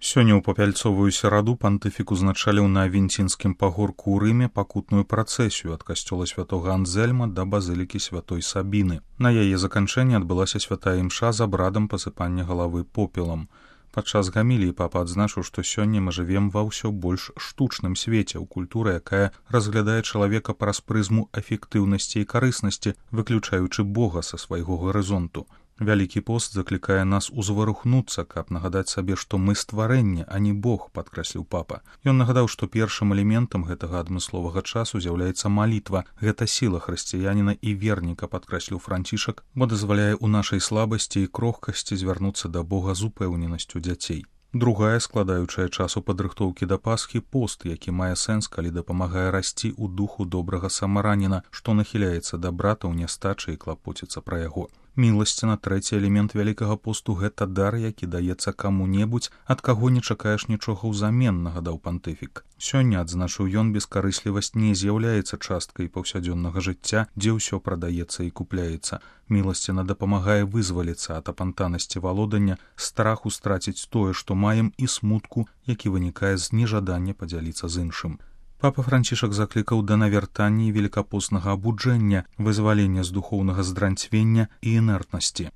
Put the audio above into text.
Сёння ў папяльцовую сераду пантыфік узначаліў на Авенцінскім пагорку ў Рыме пакутную працэсію ад касцёла святога Анзельма да базылікі святой Сабіны. На яе заканчэнні адбылася святая імша з абрадам пасыпання галавы попелам. Падчас гаміліі папа адзначыў, што сёння мы жывем ва ўсё больш штучным свеце, у культуры, якая разглядае чалавека праз прызму эфектыўнасці і карыснасці, выключаючы Бога са свайго гарызонту. Вялікі пост заклікае нас узварухнуцца, каб нагадаць сабе, што мы стварэнне, а не Бог, падкрэсліў папа. Ён нагадаў, што першым элементам гэтага адмысловага часу з'яўляецца малітва. Гэта сіла хрысціяніна і верніка, падкрэсліў Францішак, бо дазваляе ў нашай слабасці і крохкасці звярнуцца да Бога з упэўненасцю дзяцей. Другая, складаючая часу падрыхтоўкі да Пасхі, пост, які мае сэнс, калі дапамагае расці ў духу добрага самараніна, што нахіляецца да брата ў нястачы і клапоціцца пра яго. Міласціна, трэці элемент вялікага посту, гэта дар, які даецца каму-небудзь, ад каго не чакаеш нічога ўзамен, нагадаў пантыфік. Сёння, адзначыў ён, бескарыслівасць не з'яўляецца часткай паўсядзённага жыцця, дзе ўсё прадаецца і купляецца. Міласціна дапамагае вызваліцца ад апантанасці валодання, страху страціць тое, што маем, і смутку, які вынікае з нежадання падзяліцца з іншым. Папа Францішак заклікаў да навяртання і велікапоснага абуджэння, вызвалення з духоўнага здранцвення і інертнасці.